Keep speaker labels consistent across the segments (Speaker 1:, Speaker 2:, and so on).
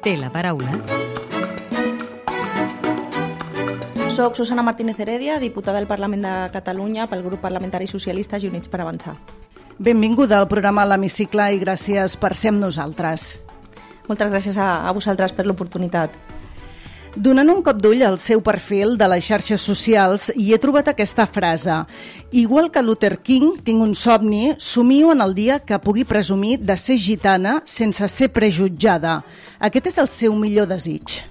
Speaker 1: Té la paraula.
Speaker 2: Soc Susana Martínez Heredia, diputada del Parlament de Catalunya pel grup parlamentari socialista i Units per Avançar.
Speaker 3: Benvinguda al programa L'Hemicicle i gràcies per ser amb nosaltres.
Speaker 2: Moltes gràcies a vosaltres per l'oportunitat.
Speaker 3: Donant un cop d'ull al seu perfil de les xarxes socials hi he trobat aquesta frase: igual que Luther King, tinc un somni, somio en el dia que pugui presumir de ser gitana sense ser prejutjada. Aquest és el seu millor desig.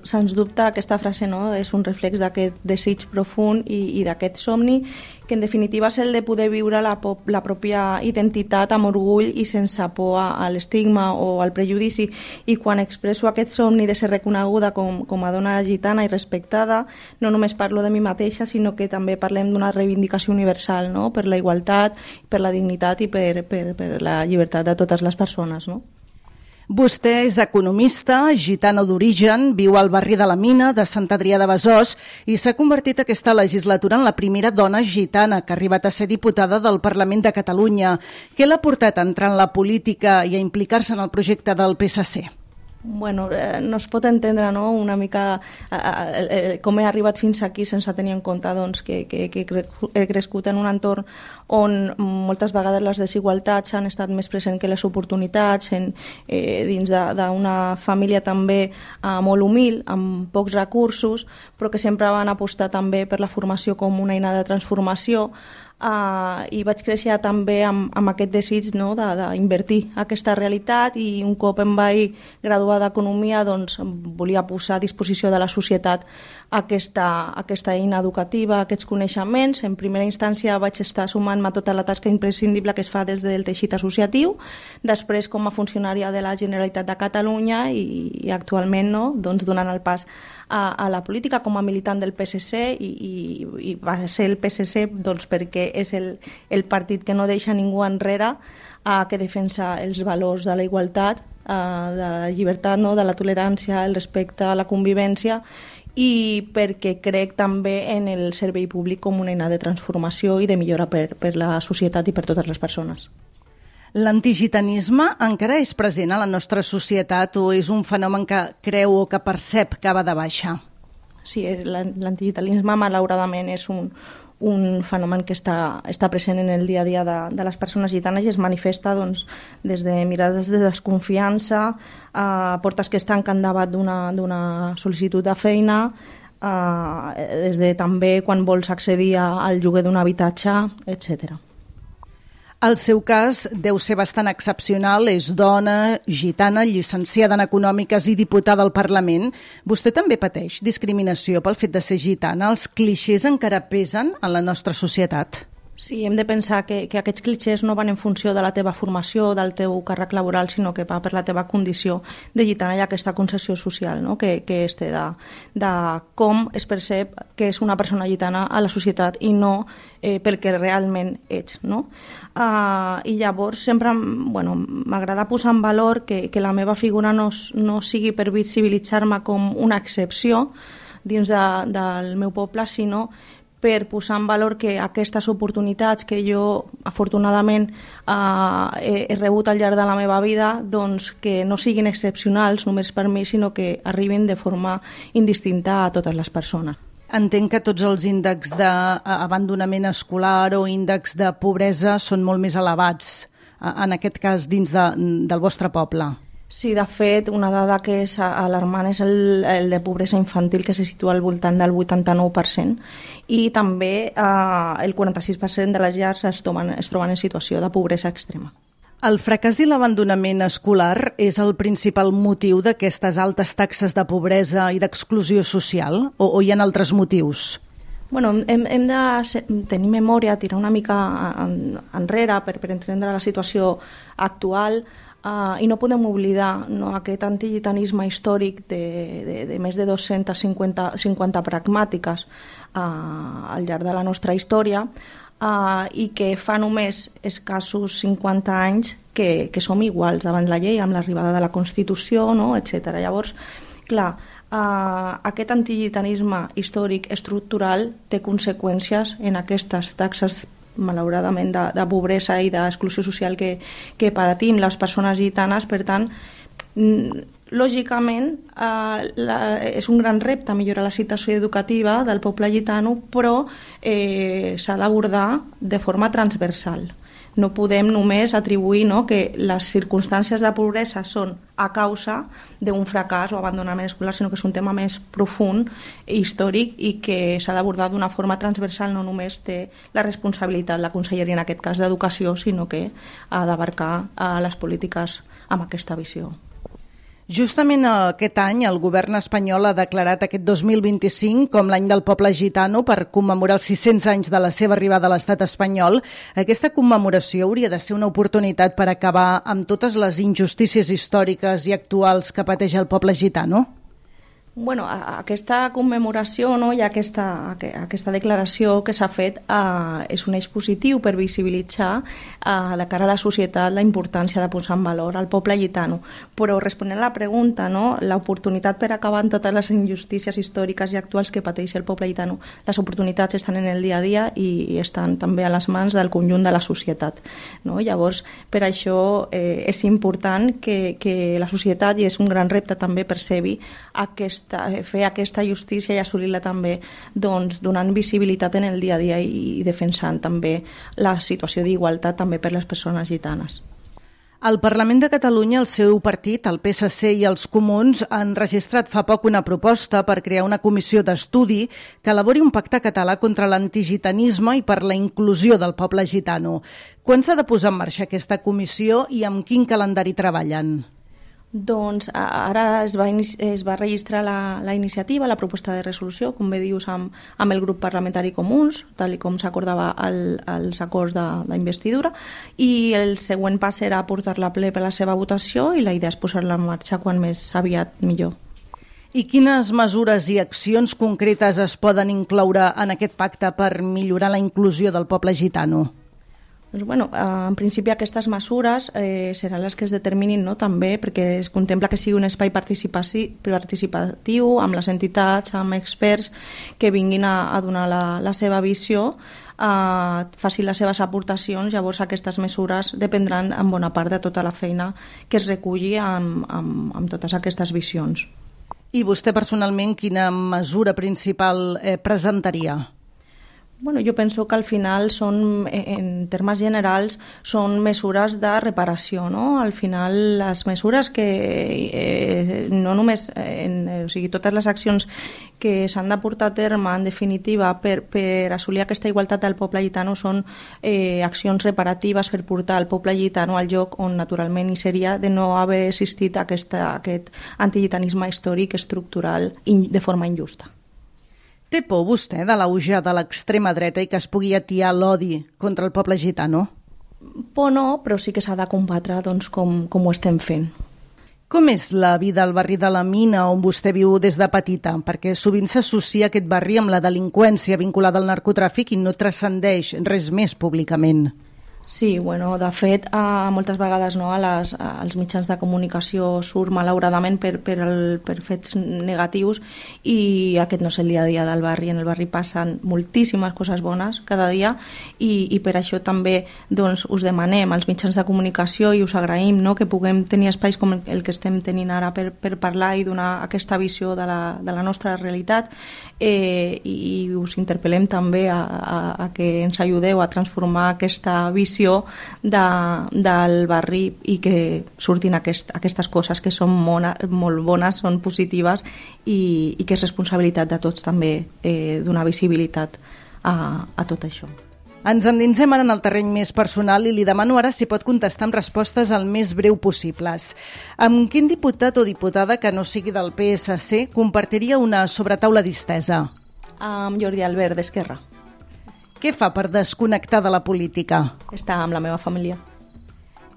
Speaker 2: Sens dubte, aquesta frase és un reflex d'aquest desig profund i d'aquest somni, que en definitiva és el de poder viure la pròpia identitat amb orgull i sense por a l'estigma o al prejudici. I quan expresso aquest somni de ser reconeguda com a dona gitana i respectada, no només parlo de mi mateixa, sinó que també parlem d'una reivindicació universal, no? Per la igualtat, per la dignitat i per la llibertat de totes les persones, no?
Speaker 3: Vostè és economista, gitano d'origen, viu al barri de la Mina de Sant Adrià de Besòs i s'ha convertit aquesta legislatura en la primera dona gitana que ha arribat a ser diputada del Parlament de Catalunya. Què l'ha portat a entrar en la política i a implicar-se en el projecte del PSC?
Speaker 2: Bueno, no es pot entendre una mica com he arribat fins aquí sense tenir en compte que he crescut en un entorn on moltes vegades les desigualtats han estat més presents que les oportunitats, dins d'una família també molt humil, amb pocs recursos, però que sempre van apostar també per la formació com una eina de transformació. I vaig créixer també amb aquest desig d'invertir aquesta realitat, i un cop em vaig graduar d'Economia volia posar a disposició de la societat aquesta eina educativa, aquests coneixements. En primera instància vaig estar sumant-me a tota la tasca imprescindible que es fa des del teixit associatiu, després com a funcionària de la Generalitat de Catalunya i actualment donant el pas a la política com a militant del PSC, i va ser el PSC perquè és el partit que no deixa ningú enrere, que defensa els valors de la igualtat, de la llibertat, de la tolerància, el respecte, la convivència, i perquè crec també en el servei públic com una eina de transformació i de millora per la societat i per totes les persones.
Speaker 3: L'antigitanisme encara és present a la nostra societat o és un fenomen que creu o que percep que va de baixa?
Speaker 2: Sí, l'antigitanisme malauradament és un fenomen que està present en el dia a dia de les persones gitanes i es manifesta des de mirades de desconfiança, a portes que es tanquen davant d'una sol·licitud de feina, des de també quan vols accedir al lloguer d'un habitatge, etc.
Speaker 3: El seu cas deu ser bastant excepcional, és dona, gitana, llicenciada en Econòmiques i diputada al Parlament. Vostè també pateix discriminació pel fet de ser gitana? Els clixés encara pesen en la nostra societat?
Speaker 2: Sí, hem de pensar que aquests clixés no van en funció de la teva formació, del teu càrrec laboral, sinó que va per la teva condició de gitana i aquesta concessió social que es té de com es percep que és una persona gitana a la societat i no pel que realment ets. I llavors sempre m'agrada posar en valor que la meva figura no sigui per visibilitzar-me com una excepció dins del meu poble, sinó per posar en valor que aquestes oportunitats que jo afortunadament he rebut al llarg de la meva vida, que no siguin excepcionals només per mi, sinó que arribin de forma indistinta a totes les persones.
Speaker 3: Entenc que tots els índexs d'abandonament escolar o índexs de pobresa són molt més elevats, en aquest cas dins del vostre poble.
Speaker 2: Sí, de fet, una dada que és alarmant és el de pobresa infantil, que se situa al voltant del 89%, i també el 46% de les llars es troben en situació de pobresa extrema.
Speaker 3: El fracàs i l'abandonament escolar és el principal motiu d'aquestes altes taxes de pobresa i d'exclusió social, o hi ha altres motius?
Speaker 2: Hem de tenir memòria, tirar una mica enrere per entendre la situació actual, i no podem oblidar aquest antigitanisme històric de més de 250 pragmàtiques al llarg de la nostra història, i que fa només escassos 50 anys que som iguals davant la llei amb l'arribada de la Constitució, etc. Llavors, clar, aquest antigitanisme històric estructural té conseqüències en aquestes taxes malauradament de pobresa i d'exclusió social que patim les persones gitanes. Per tant, lògicament, és un gran repte millorar la situació educativa del poble gitano, però s'ha d'abordar de forma transversal. No podem només atribuir que les circumstàncies de pobresa són a causa d'un fracàs o abandonament escolar, sinó que és un tema més profund i històric i que s'ha d'abordar d'una forma transversal. No només té la responsabilitat la Conselleria, en aquest cas d'Educació, sinó que ha d'abarcar les polítiques amb aquesta visió.
Speaker 3: Justament aquest any el govern espanyol ha declarat aquest 2025 com l'any del poble gitano per commemorar els 600 anys de la seva arribada a l'estat espanyol. Aquesta commemoració hauria de ser una oportunitat per acabar amb totes les injustícies històriques i actuals que pateix el poble gitano?
Speaker 2: Bueno, aquesta commemoració i aquesta declaració que s'ha fet és un eix positiu per visibilitzar de cara a la societat la importància de posar en valor al poble gitano. Però responent a la pregunta, l'oportunitat per acabar amb totes les injustícies històriques i actuals que pateix el poble gitano, les oportunitats estan en el dia a dia i estan també a les mans del conjunt de la societat. Llavors, per això és important que la societat, i és un gran repte també percebi fer aquesta justícia i assolir-la també donant visibilitat en el dia a dia i defensant també la situació d'igualtat també per les persones gitanes.
Speaker 3: Al Parlament de Catalunya, el seu partit, el PSC i els Comuns han registrat fa poc una proposta per crear una comissió d'estudi que elabori un pacte català contra l'antigitanisme i per la inclusió del poble gitano. Quan s'ha de posar en marxa aquesta comissió i amb quin calendari treballen?
Speaker 2: Doncs ara es va registrar la iniciativa, la proposta de resolució, com bé dius, amb el grup parlamentari Comuns, tal com s'acordava als acords d'investidura, i el següent pas serà portar-la a ple per la seva votació i la idea és posar-la en marxa quan més aviat millor.
Speaker 3: I quines mesures i accions concretes es poden incloure en aquest pacte per millorar la inclusió del poble gitano?
Speaker 2: Doncs, en principi aquestes mesures seran les que es determinin també perquè es contempla que sigui un espai participatiu amb les entitats, amb experts que vinguin a donar la seva visió, facin les seves aportacions. Llavors aquestes mesures dependran en bona part de tota la feina que es reculli amb totes aquestes visions.
Speaker 3: I vostè personalment quina mesura principal presentaria?
Speaker 2: Jo penso que al final en termes generals, són mesures de reparació, Al final, les mesures que no només, totes les accions que s'han de portar a terme, en definitiva, per assolir aquesta igualtat del poble gitano són accions reparatives per portar el poble gitano al lloc on naturalment hi seria de no haver existit aquest antigitanisme històric estructural de forma injusta.
Speaker 3: Té por vostè de l'auge de l'extrema dreta i que es pugui atiar l'odi contra el poble gitano?
Speaker 2: Por no, però sí que s'ha de combatre com ho estem fent.
Speaker 3: Com és la vida al barri de la Mina on vostè viu des de petita? Perquè sovint s'associa aquest barri amb la delinqüència vinculada al narcotràfic i no transcendeix res més públicament.
Speaker 2: Sí, de fet, moltes vegades als mitjans de comunicació surt malauradament per fets negatius i aquest no és el dia a dia del barri. En el barri passen moltíssimes coses bones cada dia i per això també us demanem als mitjans de comunicació i us agraïm que puguem tenir espais com el que estem tenint ara per parlar i donar aquesta visió de la nostra realitat i us interpel·lem també a que ens ajudeu a transformar aquesta visió del barri i que surtin aquestes coses que són molt bones, són positives i que és responsabilitat de tots també donar visibilitat a tot això.
Speaker 3: Ens endinsem ara en el terreny més personal i li demano ara si pot contestar amb respostes el més breu possibles. Amb quin diputat o diputada que no sigui del PSC compartiria una sobretaula distesa?
Speaker 2: Amb Jordi Albert, d'Esquerra.
Speaker 3: Què fa per desconnectar de la política?
Speaker 2: Està amb la meva família.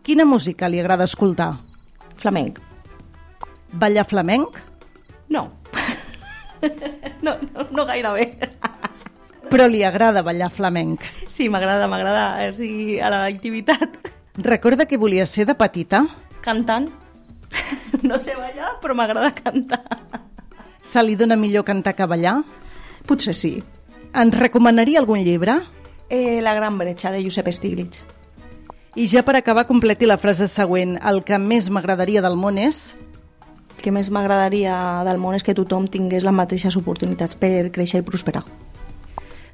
Speaker 3: Quina música li agrada escoltar?
Speaker 2: Flamenc.
Speaker 3: Ballar flamenc?
Speaker 2: No. No gaire bé.
Speaker 3: Però li agrada ballar flamenc?
Speaker 2: Sí, m'agrada, o sigui, a la activitat.
Speaker 3: Recorda què volia ser de petita?
Speaker 2: Cantant. No sé ballar, però m'agrada cantar.
Speaker 3: Se li dona millor cantar que ballar?
Speaker 2: Potser sí.
Speaker 3: Ens recomanaria algun llibre?
Speaker 2: La gran bretxa, de Josep Stiglitz.
Speaker 3: I ja per acabar, completi la frase següent. El que més m'agradaria del món és...
Speaker 2: que més m'agradaria del món és que tothom tingués les mateixes oportunitats per créixer i prosperar.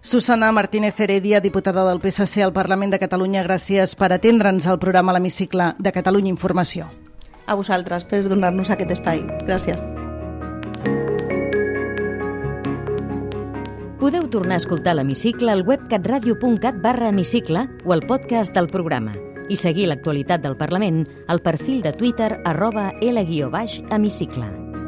Speaker 3: Susana Martínez Heredia, diputada del PSC al Parlament de Catalunya, gràcies per atendre'ns al programa L'Hemicicle de Catalunya Informació.
Speaker 2: A vosaltres per donar-nos aquest espai. Gràcies.
Speaker 1: Podeu tornar a escoltar l'Hemicicle al web catradio.cat/hemicicle o al podcast del programa i seguir l'actualitat del Parlament al perfil de Twitter @L_Hemicicle.